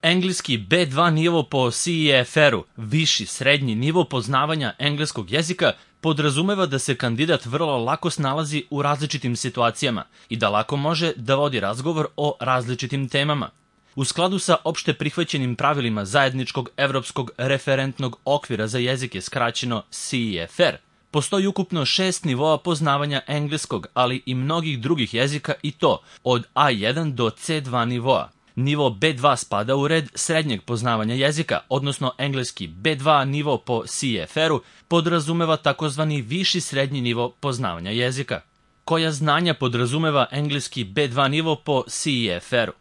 Engleski B2 nivo po CEFR-u, viši srednji nivo poznavanja engleskog jezika, podrazumeva da se kandidat vrlo lako snalazi u različitim situacijama i da lako može da vodi razgovor o različitim temama. U skladu sa opšte prihvaćenim pravilima zajedničkog evropskog referentnog okvira za jezike, skraćeno CEFR, postoji ukupno 6 nivoa poznavanja engleskog, ali i mnogih drugih jezika, i to od A1 do C2 nivoa. Nivo B2 spada u red srednjeg poznavanja jezika, odnosno engleski B2 nivo po CEFR-u podrazumeva takozvani viši srednji nivo poznavanja jezika. Koja znanja podrazumeva engleski B2 nivo po CEFR-u?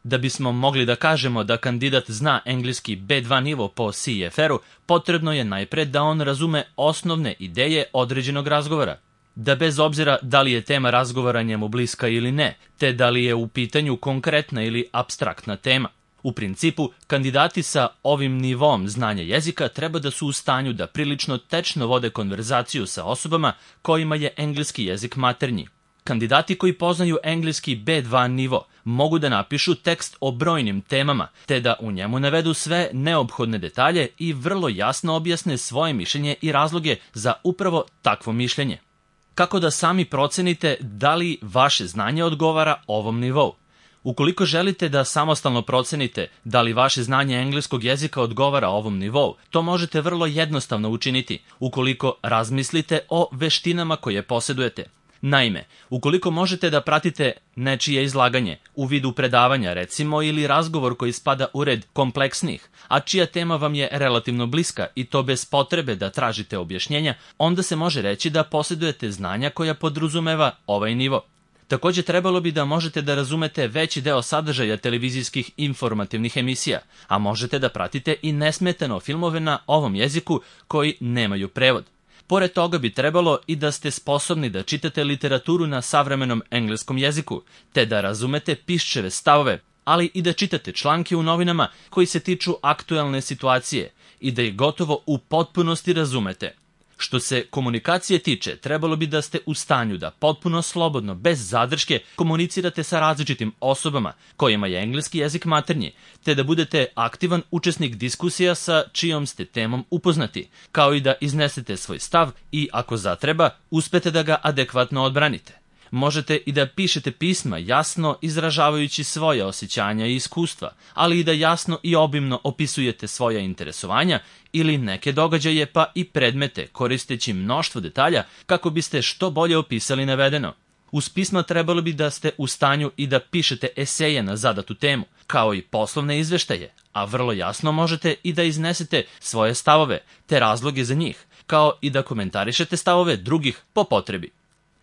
Da bismo mogli da kažemo da kandidat zna engleski B2 nivo po CEFR-u, potrebno je najpre da on razume osnovne ideje određenog razgovora. Da bez obzira da li je tema razgovora njemu bliska ili ne, te da li je u pitanju konkretna ili apstraktna tema. U principu, kandidati sa ovim nivom znanja jezika treba da su u stanju da prilično tečno vode konverzaciju sa osobama kojima je engleski jezik maternji. Kandidati koji poznaju engleski B2 nivo mogu da napišu tekst o brojnim temama, te da u njemu navedu sve neophodne detalje i vrlo jasno objasne svoje mišljenje i razloge za upravo takvo mišljenje. Kako da sami procenite da li vaše znanje odgovara ovom nivou? Ukoliko želite da samostalno procenite da li vaše znanje engleskog jezika odgovara ovom nivou, to možete vrlo jednostavno učiniti ukoliko razmislite o veštinama koje posedujete. Naime, ukoliko možete da pratite nečije izlaganje u vidu predavanja, recimo, ili razgovor koji spada u red kompleksnih, a čija tema vam je relativno bliska i to bez potrebe da tražite objašnjenja, onda se može reći da posedujete znanja koja podrazumeva ovaj nivo. Takođe, trebalo bi da možete da razumete veći deo sadržaja televizijskih informativnih emisija, a možete da pratite i nesmetano filmove na ovom jeziku koji nemaju prevod. Pored toga bi trebalo i da ste sposobni da čitate literaturu na savremenom engleskom jeziku, te da razumete piščeve stavove, ali i da čitate članke u novinama koji se tiču aktuelne situacije i da ih gotovo u potpunosti razumete. Što se komunikacije tiče, trebalo bi da ste u stanju da potpuno slobodno, bez zadrške, komunicirate sa različitim osobama kojima je engleski jezik maternji, te da budete aktivan učesnik diskusija sa čijom ste temom upoznati, kao i da iznesete svoj stav i, ako zatreba, uspete da ga adekvatno odbranite. Možete i da pišete pisma jasno izražavajući svoje osjećanja i iskustva, ali i da jasno i obimno opisujete svoja interesovanja ili neke događaje pa i predmete koristeći mnoštvo detalja kako biste što bolje opisali navedeno. Uz pisma trebalo bi da ste u stanju i da pišete eseje na zadatu temu, kao i poslovne izveštaje, a vrlo jasno možete i da iznesete svoje stavove te razloge za njih, kao i da komentarišete stavove drugih po potrebi.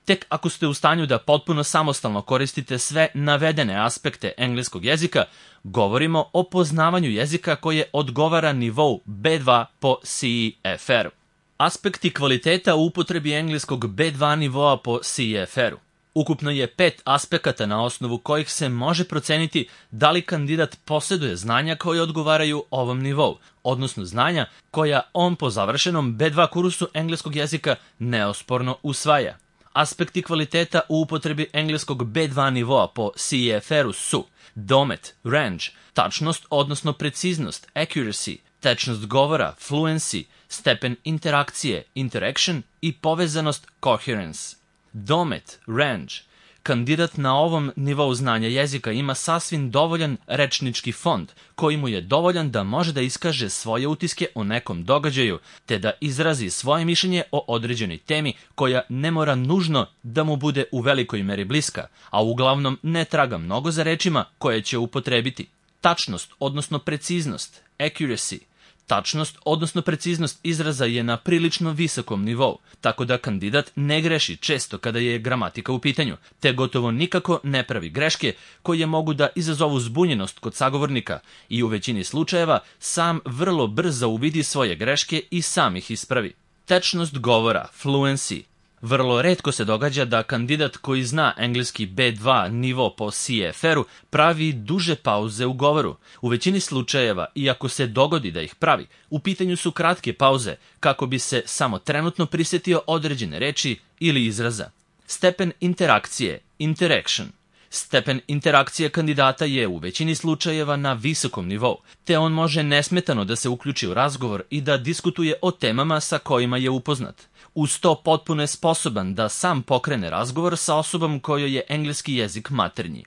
Tek ako ste u stanju da potpuno samostalno koristite sve navedene aspekte engleskog jezika, govorimo o poznavanju jezika koje odgovara nivou B2 po CEFR-u. Aspekti kvaliteta u upotrebi engleskog B2 nivoa po CEFR-u. Ukupno je 5 aspekata na osnovu kojih se može proceniti da li kandidat poseduje znanja koje odgovaraju ovom nivou, odnosno znanja koja on po završenom B2 kursu engleskog jezika neosporno usvaja. Aspekti kvaliteta u upotrebi engleskog B2 nivoa po CEFR-u su domet, range, tačnost odnosno preciznost, accuracy, tečnost govora, fluency, stepen interakcije, interaction i povezanost, coherence. Domet, range. Kandidat na ovom nivou znanja jezika ima sasvim dovoljan rečnički fond, koji mu je dovoljan da može da iskaže svoje utiske o nekom događaju, te da izrazi svoje mišljenje o određenoj temi koja ne mora nužno da mu bude u velikoj meri bliska, a uglavnom ne traga mnogo za rečima koje će upotrebiti. Tačnost, odnosno preciznost, accuracy. Tačnost, odnosno preciznost izraza je na prilično visokom nivou, tako da kandidat ne greši često kada je gramatika u pitanju, te gotovo nikako ne pravi greške koje mogu da izazovu zbunjenost kod sagovornika i u većini slučajeva sam vrlo brzo uvidi svoje greške i sam ih ispravi. Tečnost govora, fluency. Vrlo retko se događa da kandidat koji zna engleski B2 nivo po CEFR-u pravi duže pauze u govoru. U većini slučajeva, iako se dogodi da ih pravi, u pitanju su kratke pauze kako bi se samo trenutno prisjetio određene reči ili izraza. Stepen interakcije, interaction. Stepen interakcije kandidata je u većini slučajeva na visokom nivou, te on može nesmetano da se uključi u razgovor i da diskutuje o temama sa kojima je upoznat. Uz to potpuno je sposoban da sam pokrene razgovor sa osobom kojoj je engleski jezik maternji.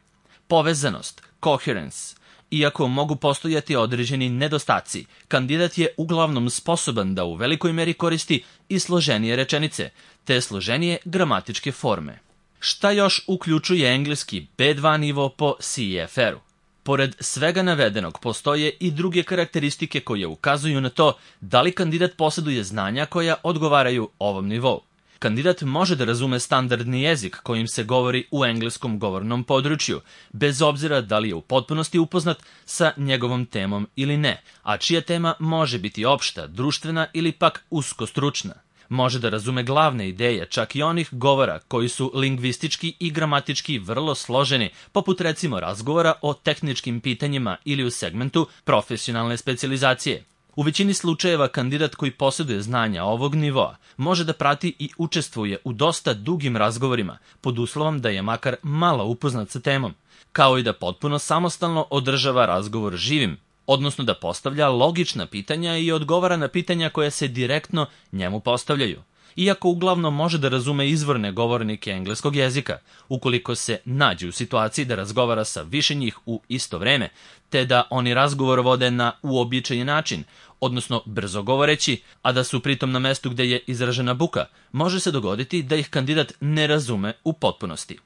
Povezanost, coherence. Iako mogu postojati određeni nedostaci, kandidat je uglavnom sposoban da u velikoj meri koristi i složenije rečenice, te složenije gramatičke forme. Šta još uključuje engleski B2 nivo po CEFR-u? Pored svega navedenog, postoje i druge karakteristike koje ukazuju na to da li kandidat posjeduje znanja koja odgovaraju ovom nivou. Kandidat može da razume standardni jezik kojim se govori u engleskom govornom području, bez obzira da li je u potpunosti upoznat sa njegovom temom ili ne, a čija tema može biti opšta, društvena ili pak uskostručna. Može da razume glavne ideje čak i onih govora koji su lingvistički i gramatički vrlo složeni, poput recimo razgovora o tehničkim pitanjima ili u segmentu profesionalne specijalizacije. U većini slučajeva kandidat koji posjeduje znanja ovog nivoa može da prati i učestvuje u dosta dugim razgovorima, pod uslovom da je makar malo upoznat sa temom, kao i da potpuno samostalno održava razgovor živim, odnosno da postavlja logična pitanja i odgovara na pitanja koja se direktno njemu postavljaju. Iako uglavnom može da razume izvorne govornike engleskog jezika, ukoliko se nađe u situaciji da razgovara sa više njih u isto vreme, te da oni razgovor vode na uobičajen način, odnosno brzo govoreći, a da su pritom na mestu gde je izražena buka, može se dogoditi da ih kandidat ne razume u potpunosti.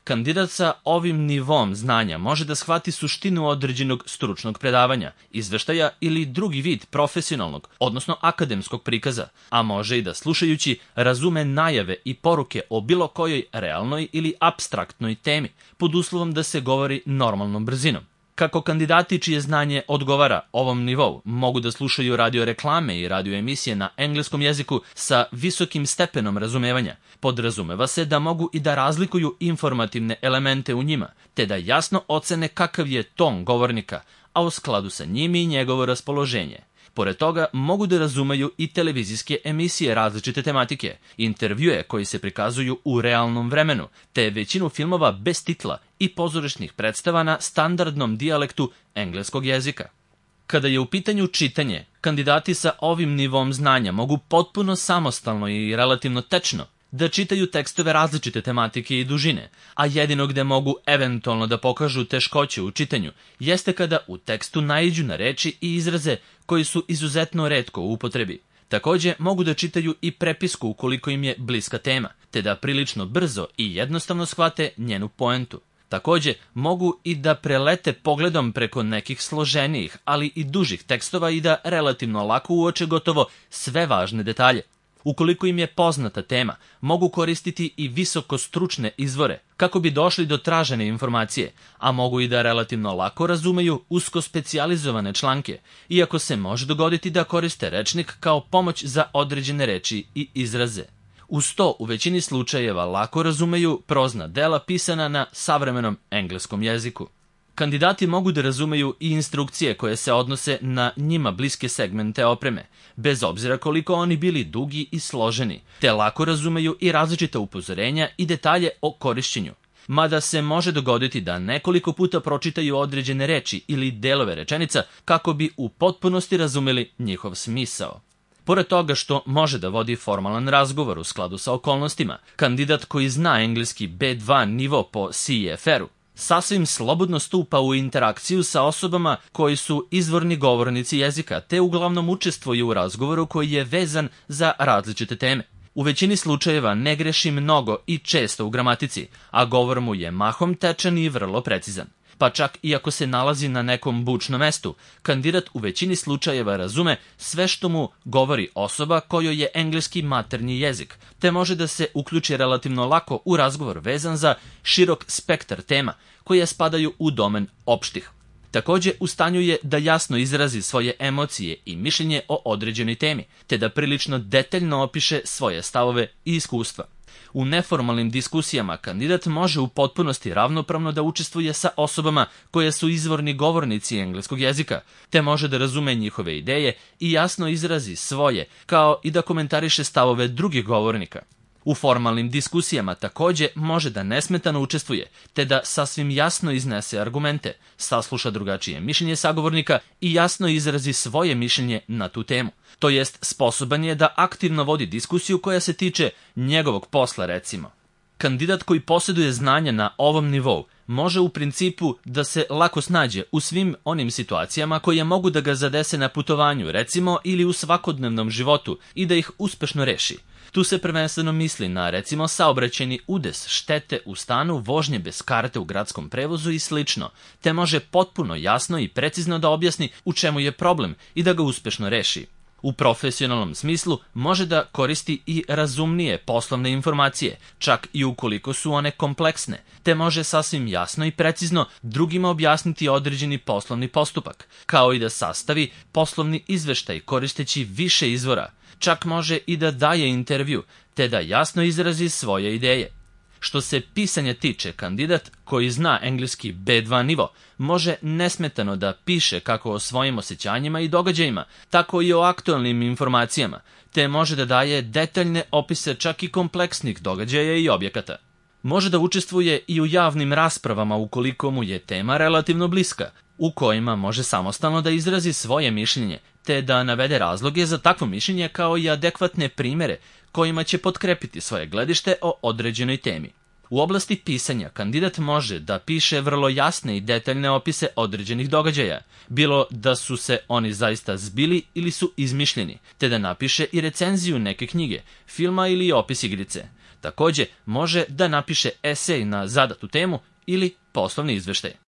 Kandidat sa ovim nivom znanja može da shvati suštinu određenog stručnog predavanja, izveštaja ili drugi vid profesionalnog, odnosno akademskog prikaza, a može i da slušajući razume najave i poruke o bilo kojoj realnoj ili apstraktnoj temi, pod uslovom da se govori normalnom brzinom. Kako kandidati čije znanje odgovara ovom nivou mogu da slušaju radio reklame i radio emisije na engleskom jeziku sa visokim stepenom razumevanja, podrazumeva se da mogu i da razlikuju informativne elemente u njima, te da jasno ocene kakav je ton govornika, a u skladu sa njim i njegovo raspoloženje. Pored toga, mogu da razumeju i televizijske emisije različite tematike, intervjue koji se prikazuju u realnom vremenu, te većinu filmova bez titla i pozorišnih predstava na standardnom dijalektu engleskog jezika. Kada je u pitanju čitanje, kandidati sa ovim nivom znanja mogu potpuno samostalno i relativno tečno da čitaju tekstove različite tematike i dužine, a jedino gde mogu eventualno da pokažu teškoće u čitanju jeste kada u tekstu naiđu na reči i izraze koji su izuzetno retko u upotrebi. Takođe mogu da čitaju i prepisku ukoliko im je bliska tema, te da prilično brzo i jednostavno shvate njenu poentu. Takođe mogu i da prelete pogledom preko nekih složenijih, ali i dužih tekstova i da relativno lako uoče gotovo sve važne detalje. Ukoliko im je poznata tema, mogu koristiti i visoko stručne izvore kako bi došli do tražene informacije, a mogu i da relativno lako razumeju usko specijalizovane članke, iako se može dogoditi da koriste rečnik kao pomoć za određene reči i izraze. Uz to, u većini slučajeva lako razumeju prozna dela pisana na savremenom engleskom jeziku. Kandidati mogu da razumeju i instrukcije koje se odnose na njima bliske segmente opreme, bez obzira koliko oni bili dugi i složeni, te lako razumeju i različita upozorenja i detalje o korišćenju. Mada se može dogoditi da nekoliko puta pročitaju određene reči ili delove rečenica kako bi u potpunosti razumeli njihov smisao. Pored toga što može da vodi formalan razgovor u skladu sa okolnostima, kandidat koji zna engleski B2 nivo po CEFR-u sasvim slobodno stupa u interakciju sa osobama koji su izvorni govornici jezika, te uglavnom učestvuju u razgovoru koji je vezan za različite teme. U većini slučajeva ne greši mnogo i često u gramatici, a govor mu je mahom tečan i vrlo precizan. Pa čak i ako se nalazi na nekom bučnom mestu, kandidat u većini slučajeva razume sve što mu govori osoba kojoj je engleski maternji jezik, te može da se uključi relativno lako u razgovor vezan za širok spektar tema koje spadaju u domen opštih. Takođe, u stanju je da jasno izrazi svoje emocije i mišljenje o određenoj temi, te da prilično detaljno opiše svoje stavove i iskustva. U neformalnim diskusijama kandidat može u potpunosti ravnopravno da učestvuje sa osobama koje su izvorni govornici engleskog jezika, te može da razume njihove ideje i jasno izrazi svoje, kao i da komentariše stavove drugih govornika. U formalnim diskusijama takođe može da nesmetano učestvuje, te da sasvim jasno iznese argumente, sasluša drugačije mišljenje sagovornika i jasno izrazi svoje mišljenje na tu temu. To jest, sposoban je da aktivno vodi diskusiju koja se tiče njegovog posla, recimo. Kandidat koji posjeduje znanja na ovom nivou može u principu da se lako snađe u svim onim situacijama koje mogu da ga zadese na putovanju, recimo, ili u svakodnevnom životu i da ih uspešno reši. Tu se prvenstveno misli na, recimo, saobraćajni udes, štete u stanu, vožnje bez karte u gradskom prevozu i slično, te može potpuno jasno i precizno da objasni u čemu je problem i da ga uspešno reši. U profesionalnom smislu može da koristi i razumnije poslovne informacije, čak i ukoliko su one kompleksne, te može sasvim jasno i precizno drugima objasniti određeni poslovni postupak, kao i da sastavi poslovni izveštaj koristeći više izvora, čak može i da daje intervju, te da jasno izrazi svoje ideje. Što se pisanja tiče, kandidat koji zna engleski B2 nivo može nesmetano da piše kako o svojim osjećanjima i događajima, tako i o aktualnim informacijama, te može da daje detaljne opise čak i kompleksnih događaja i objekata. Može da učestvuje i u javnim raspravama ukoliko mu je tema relativno bliska, u kojima može samostalno da izrazi svoje mišljenje, te da navede razloge za takvo mišljenje kao i adekvatne primere kojima će potkrepiti svoje gledište o određenoj temi. U oblasti pisanja kandidat može da piše vrlo jasne i detaljne opise određenih događaja, bilo da su se oni zaista zbili ili su izmišljeni, te da napiše i recenziju neke knjige, filma ili opis igrice. Takođe, može da napiše esej na zadatu temu ili poslovni izveštaj.